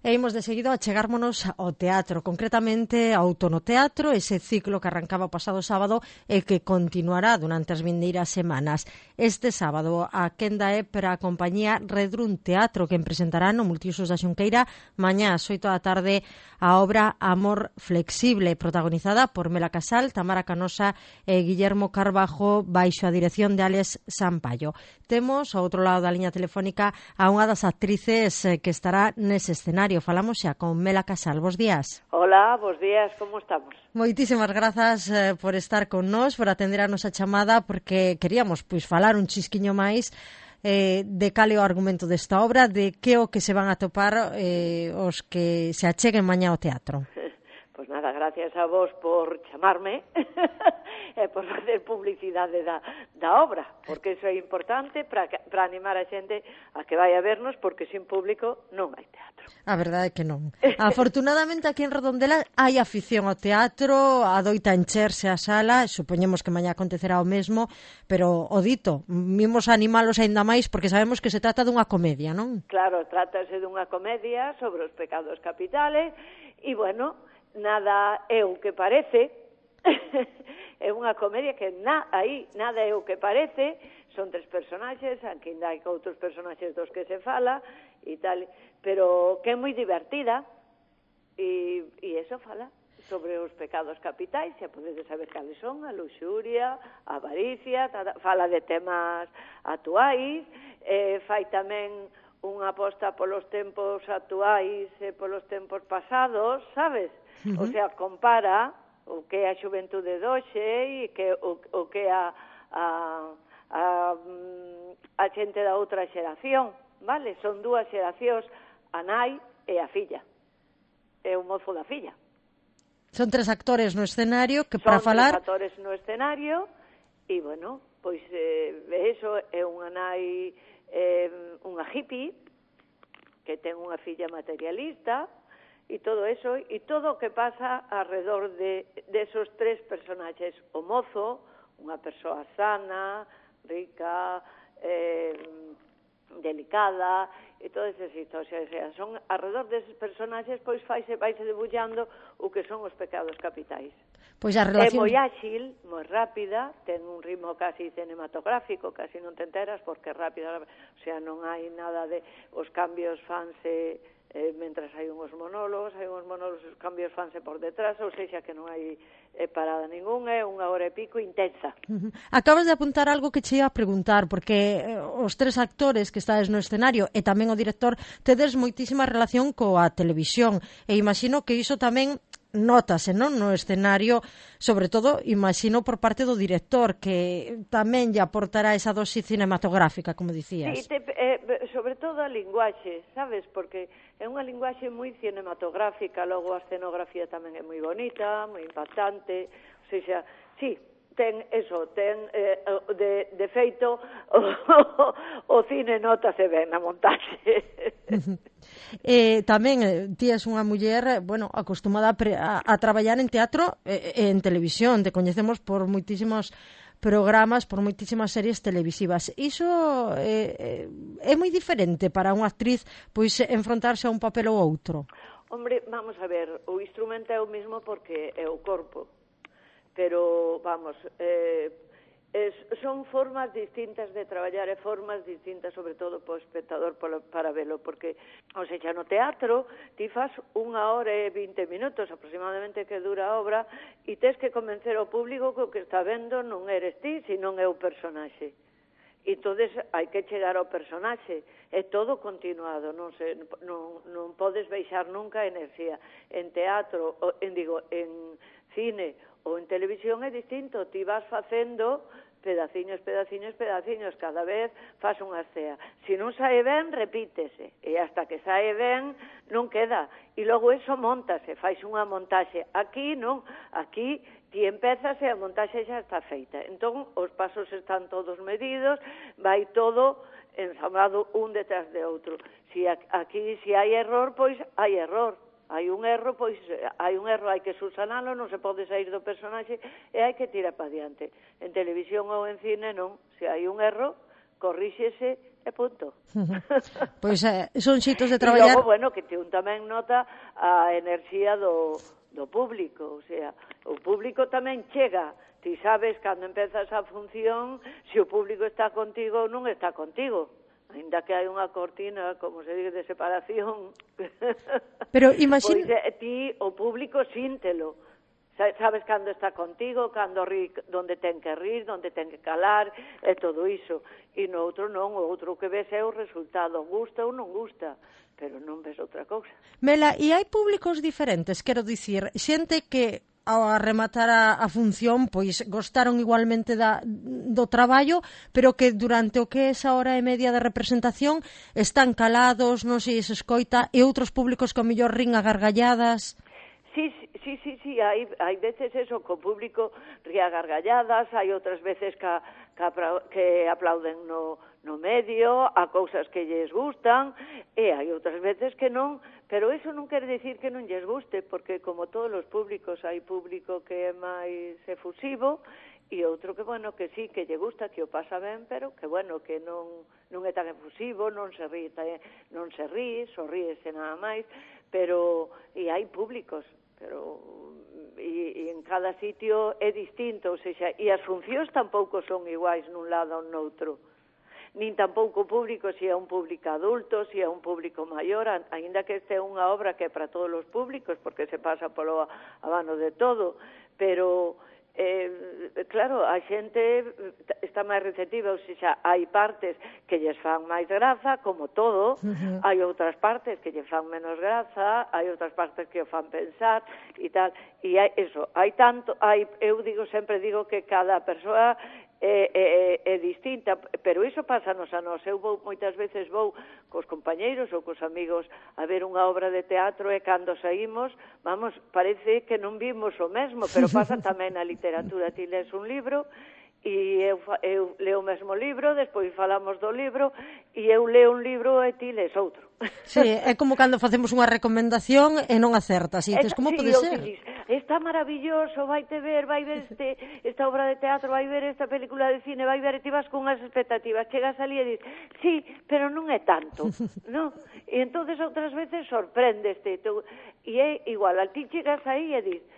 E imos de seguido a chegármonos ao teatro, concretamente ao Tonoteatro, ese ciclo que arrancaba o pasado sábado e que continuará durante as vindeiras semanas. Este sábado a quenda é para a compañía Redrun Teatro, que presentará no Multiusos da Xunqueira mañá ás 8 da tarde a obra Amor Flexible, protagonizada por Mela Casal, Tamara Canosa e Guillermo Carbajo, baixo a dirección de Alex Sampaio. Temos ao outro lado da liña telefónica a unha das actrices que estará nese escenario. Falamos xa con Mela Casal. Bos días. Hola, bos días, como estamos? Moitísimas grazas por estar con nós, por atender a nosa chamada, porque queríamos falar un chisquiño máis de cal é o argumento desta obra, de que o que se van a topar os que se acheguen mañá ao teatro. Pois nada, gracias a vos por chamarme e por facer publicidade da obra, porque iso é importante para animar a xente a que vai a vernos, porque sin público non hai teatro. A verdade é que non. Afortunadamente aquí en Redondela hai afición ao teatro, adoita encherse a sala, supoñemos que mañá acontecerá o mesmo, pero o dito, vimos animalos aínda máis porque sabemos que se trata dunha comedia, non? Claro, trátase dunha comedia sobre os pecados capitales e, bueno, nada é o que parece. É unha comedia que nada é o que parece. Son tres personaxes, aquí ainda hai outros personaxes dos que se fala e tal, pero que é moi divertida e eso fala sobre os pecados capitais, xa podedes saber cales son, a luxuria, a avaricia, fala de temas actuais, fai tamén unha aposta polos tempos actuais e polos tempos pasados, sabes? O sea, compara o que é a xuventude de hoxe e o que é a xente da outra xeración, vale? Son dúas xeracións, a nai e a filla, e o mozo da filla. Son tres actores no escenario que para falar... Son tres actores no escenario e, bueno, pois eso é unha nai, unha hippie que ten unha filla materialista e todo eso, e todo o que pasa alrededor de esos tres personaxes. O mozo, unha persoa sana, rica, delicada, e todas esas historias. Son alrededor deses personaxes, pois vaise debullando o que son os pecados capitais. Pois a relación... É moi áxil, moi rápida, ten un ritmo casi cinematográfico, casi non te enteras porque é rápida, o sea, non hai nada de... Os cambios fanse mentras hai uns monólogos, os cambios fanse por detrás, ou seja, que non hai parada ninguna, é unha hora e pico intensa. Acabas de apuntar algo que che ia a preguntar, porque os tres actores que estades no escenario e tamén o director tedes moitísima relación coa televisión, e imagino que iso tamén nótase, non, no escenario, sobre todo, imagino, por parte do director, que tamén lle aportará esa dosis cinematográfica, como dicías. Sí, sobre todo a linguaxe, sabes, porque é unha linguaxe moi cinematográfica, logo a escenografía tamén é moi bonita, moi impactante, ou seja, sí, ten de feito o cine nótase ben na montaxe. Tamén ti és unha muller, bueno, acostumada a traballar en teatro e en televisión, te coñecemos por moitísimos programas, por moitísimas series televisivas. Iso é moi diferente para unha actriz pois enfrontarse a un papel ou outro. Hombre, vamos a ver, o instrumento é o mesmo porque é o corpo, pero, vamos, son formas distintas de traballar e formas distintas, sobre todo, para o espectador para velo, porque, ou seja, no teatro ti faz 1 hora e 20 minutos aproximadamente que dura a obra e tes que convencer ao público que o que está vendo non eres ti, senón é o personaxe. E entonces hai que chegar ao personaxe, é todo continuado, non podes baixar nunca a enerxía. En teatro, en cine ou en televisión é distinto, ti vas facendo pedaciños, cada vez faz unha escena. Se non sae ben, repítese, e hasta que sae ben non queda, e logo eso montase, faz unha montaxe. Aquí non, aquí ti empezas e a montaxe xa está feita. Entón, os pasos están todos medidos, vai todo ensamblado un detrás de outro. Aquí, se hai error, pois hai error. Hai un erro, hai que subsanalo, non se pode sair do personaxe e hai que tirar para diante. En televisión ou en cine non, se hai un erro, corríxese e punto. Pois son xeitos de E traballar. logo, bueno, que un tamén nota a enerxía do público, o sea, o público tamén chega. Ti sabes, cando empezas a función, se o público está contigo ou non está contigo. Ainda que hai unha cortina, como se dice, de separación. Pero imagina... Pois ti, o público, síntelo. Sabes cando está contigo, cando ri, donde ten que rir, donde ten que calar, e todo iso. E no outro non, o outro que ves é o resultado, gusta ou non gusta, pero non ves outra cousa. Mela, e hai públicos diferentes, quero dicir, xente que ao rematar a función, pois gostaron igualmente do traballo, pero que durante o que é esa hora e media de representación están calados, non se escoita, e outros públicos que ao mellor rin a gargalladas. Sí, hai veces eso, co público ría gargalladas, hai outras veces que aplauden no medio, a cousas que lles gustan, e hai outras veces que non, pero eso non quere dicir que non lles guste, porque como todos os públicos, hai público que é máis efusivo, e outro que, bueno, que sí, que lle gusta, que o pasa ben, pero que, bueno, que non é tan efusivo, non se ríe, sorríese nada máis, pero, e hai públicos, pero e en cada sitio é distinto, ou seja, e as funcións tampouco son iguais nun lado ou noutro, nin tampouco o público, se é un público adulto, se é un público maior, aínda que este é unha obra que é para todos os públicos, porque se pasa polo abano de todo, pero claro, a xente está máis receptiva, ou seja, hai partes que lles fan máis graza, como todo, hai outras partes que lles fan menos graza, hai outras partes que o fan pensar e tal, e hai tanto, eu sempre digo que cada persoa é distinta, pero iso pásanos a nós. Eu moitas veces vou cos compañeiros ou cos amigos a ver unha obra de teatro e cando saímos, vamos, parece que non vimos o mesmo, pero pasa tamén na literatura. Ti lees un libro e eu leo o mesmo libro, despois falamos do libro e eu leo un libro e ti lees outro. Sí, é como cando facemos unha recomendación e non acertas, e dices, como pode ser? Está maravilloso, vai ver esta obra de teatro, vai ver esta película de cine, vai ver, e ti vas con unhas expectativas, chegas ali e dices, sí, pero non é tanto, non? E entonces outras veces sorprendeste, e é igual, a ti chegas aí e dices,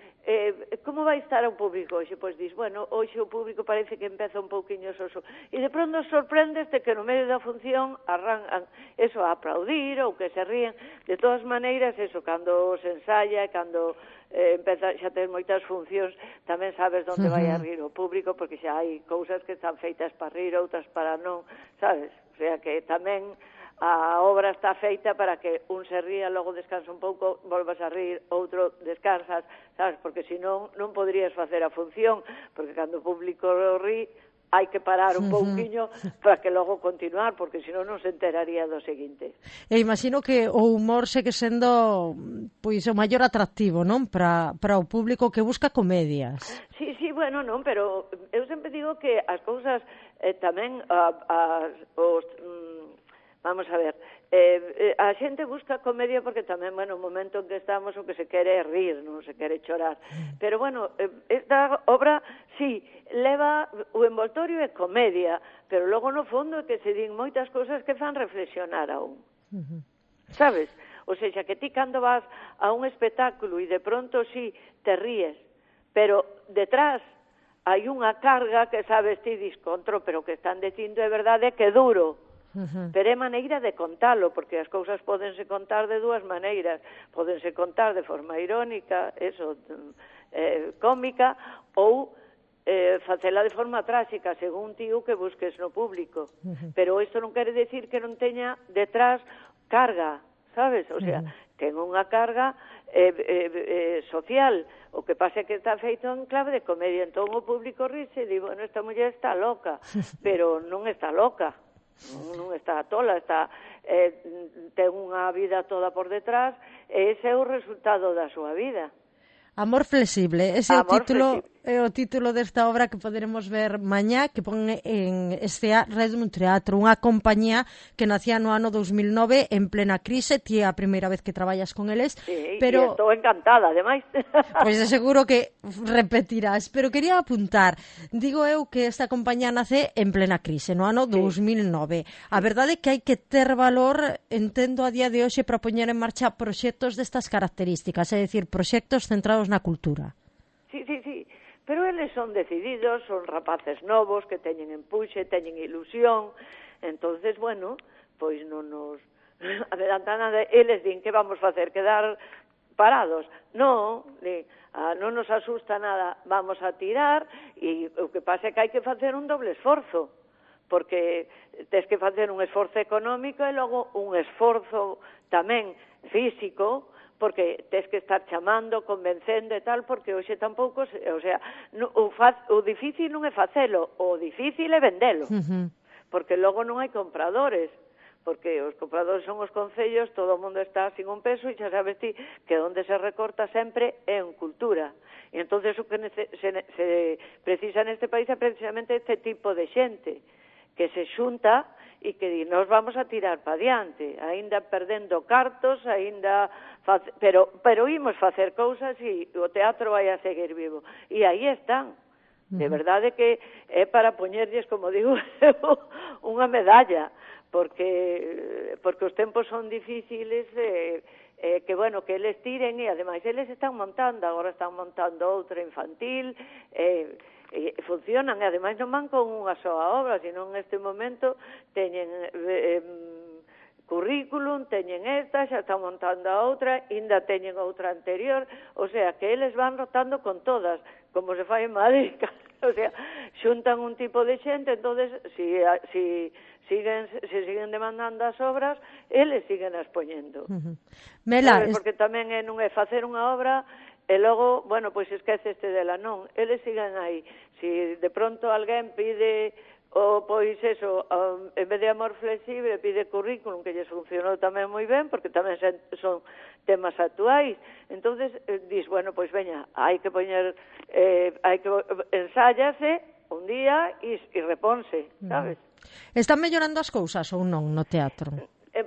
como vai estar o público hoxe? Pois dis, bueno, hoxe o público parece que empeza un pouquiño soso. E de pronto sorprendeste que no medio da función arrancan eso a aplaudir ou que se ríen. De todas maneiras, eso, cando se ensaya e cando empeza, xa ten moitas funcións, tamén sabes onde vai a rir o público, porque xa hai cousas que están feitas para rir, outras para non, sabes? O sea que tamén a obra está feita para que un se ría, logo descansa un pouco, volvas a rir, outro descansas, sabes? Porque senón non poderías facer a función, porque cando o público rí, hai que parar un pouquiño para que logo continuar, porque senón non se enteraría do seguinte. E imagino que o humor segue sendo pois o maior atractivo, non? Para o público que busca comedias. Sí, bueno, non, pero eu sempre digo que as cousas tamén vamos a ver, a xente busca comedia porque tamén, bueno, o momento en que estamos o que se quere é rir, non se quere chorar. Pero, bueno, esta obra, sí, leva o envoltorio é comedia, pero logo no fondo é que se din moitas cousas que fan reflexionar aún. Sabes? O sea, que ti cando vas a un espectáculo e de pronto sí te ríes, pero detrás hai unha carga que sabes ti discontro, pero que están dicindo é verdade que é duro. Pero é maneira de contalo, porque as cousas pódense contar de dúas maneiras, pódense contar de forma irónica, cómica, ou facela de forma tráxica, según ti o que busques no público. Pero isto non quere decir que non teña detrás carga, sabes? O sea, ten unha carga social, o que pasa é que está feito en clave de comedia, entón o público rise e di, bueno, esta muller está loca, pero non está loca. Non está tola, ten unha vida toda por detrás e ese é o resultado da súa vida. Amor flexible, ese é o título é o título desta obra que poderemos ver mañá, que pon en Escea Redrum Teatro, unha compañía que nacía no ano 2009 en plena crise. Ti é a primeira vez que traballas con eles, sí, pero... estou encantada, ademais. Pois de seguro que repetirás, pero quería apuntar, digo eu que esta compañía nace en plena crise, no ano 2009. A verdade é que hai que ter valor, entendo a día de hoxe, para poñer en marcha proxectos destas características, é dicir, proxectos centrados na cultura. Sí, pero eles son decididos, son rapaces novos que teñen empuxe, teñen ilusión, entonces, bueno, pois non nos adelantan nada, eles din que vamos facer, quedar parados. Non, non nos asusta nada, vamos a tirar, e o que pasa é que hai que facer un doble esforzo, porque tes que facer un esforzo económico e logo un esforzo tamén físico, porque tes que estar chamando, convencendo e tal, porque hoxe tampouco, o sea, o difícil non é facelo, o difícil é vendelo, porque logo non hai compradores, porque os compradores son os concellos, todo o mundo está sin un peso, e xa sabes ti que onde se recorta sempre é en cultura. E entonces o que se precisa neste país é precisamente este tipo de xente, que se xunta e que di, nos vamos a tirar para diante, aínda perdendo cartos, pero imos facer cousas e o teatro vai a seguir vivo. E aí están. De verdade que é para poñerlles, como digo, unha medalla, porque os tempos son difíciles, que bueno, que eles tiren, e ademais eles están montando, agora están montando outra infantil, funcionan, e ademais non van con unha soa obra, sino en este momento teñen currículum, teñen esta, xa están montando a outra, ainda teñen outra anterior, o sea, que eles van rotando con todas, como se fai en Madrid, o sea, xuntan un tipo de xente, entonces, se siguen demandando as obras, eles siguen as poñendo. Mela, porque tamén non é facer unha obra e logo, bueno, pois esqueceste dela, non, eles siguen aí. Si de pronto alguén pide, pois eso, en vez de amor flexible, pide currículum, que lles funcionou tamén moi ben, porque tamén son temas actuais, entonces dis, bueno, pois veña, hai que poñer, ensáyase un día e reponse, sabes? Están mellorando as cousas ou non no teatro?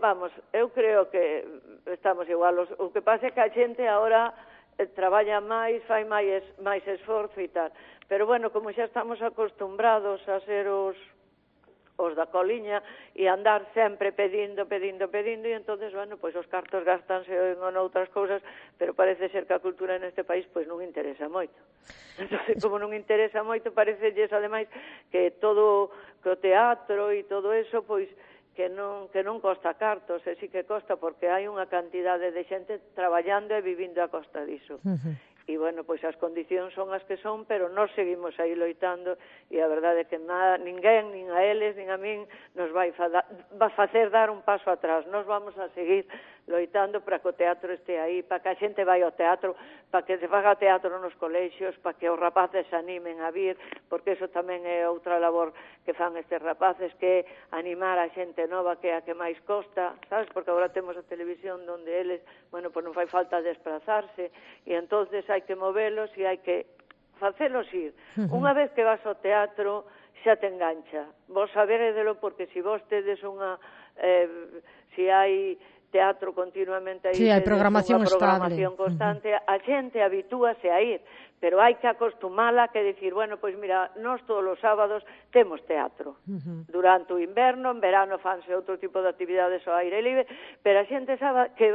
Vamos, eu creo que estamos igual, o que pasa é que a xente agora traballa máis, fai máis esforzo e tal. Pero bueno, como xa estamos acostumbrados a ser os da coliña e andar sempre pedindo, e entonces, bueno, pois os cartos gastanse en outras cousas, pero parece ser que a cultura neste país pois non interesa moito. Entonces, como non interesa moito, parecelles ademais que todo o teatro e todo eso, pois que non costa cartos, e sí que costa, porque hai unha cantidade de xente traballando e vivindo a costa diso. E, bueno, pois as condicións son as que son, pero nós seguimos aí loitando, e a verdade é que ninguén, nin a eles, nin a min, nos vai facer dar un paso atrás. Nós vamos a seguir loitando para que o teatro este aí, para que a xente vai ao teatro, para que se faga teatro nos colexios, para que os rapaces se animen a vir, porque eso tamén é outra labor que fan estes rapaces, que é animar a xente nova, que é a que máis costa, sabes? Porque agora temos a televisión onde eles, bueno, pois non fai falta desplazarse, e entonces hai que movelos e hai que facelos ir. Unha vez que vas ao teatro, xa te engancha. Vos saberedelo, porque se vos tedes unha... se hai teatro continuamente aí, sí, hai programación constante, a xente habitúase a ir, pero hai que acostumala, que decir, bueno, pois mira, nós todos os sábados temos teatro. Durante o inverno, en verano fanse outro tipo de actividades ao aire libre, pero a xente sabe que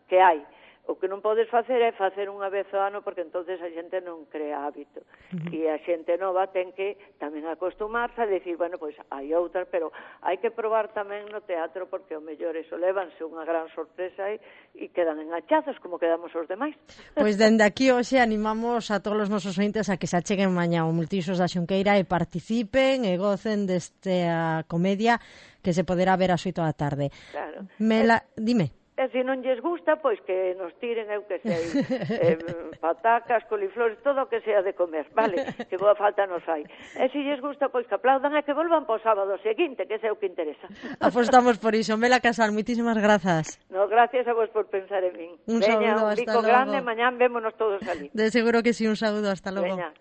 que hai. O que non podes facer é facer unha vez ao ano, porque entonces a xente non crea hábito. E a xente nova ten que tamén acostumarse a decir, bueno, pois hai outras, pero hai que probar tamén no teatro, porque o mellor eso levanse unha gran sorpresa e quedan enganchados como quedamos os demais. Pois dende aquí hoxe animamos a todos os nosos ointes a que se acheguen mañá ao Multiusos da Xunqueira e participen e gocen desta comedia que se poderá ver ás 8 da tarde. Claro. Mela, dime. E se non lles gusta, pois que nos tiren, eu que sei, patacas, coliflores, todo o que sea de comer, vale? Que boa falta nos fai. E se lles gusta, pois que aplaudan e que volvan para o sábado seguinte, que é o que interesa. Apostamos por iso. Mela Casal, moitísimas grazas. No, gracias a vos por pensar en min. Un saúdo, un hasta bico logo. grande, mañán vémonos todos ali. De seguro que sí, un saúdo, hasta logo. Veña,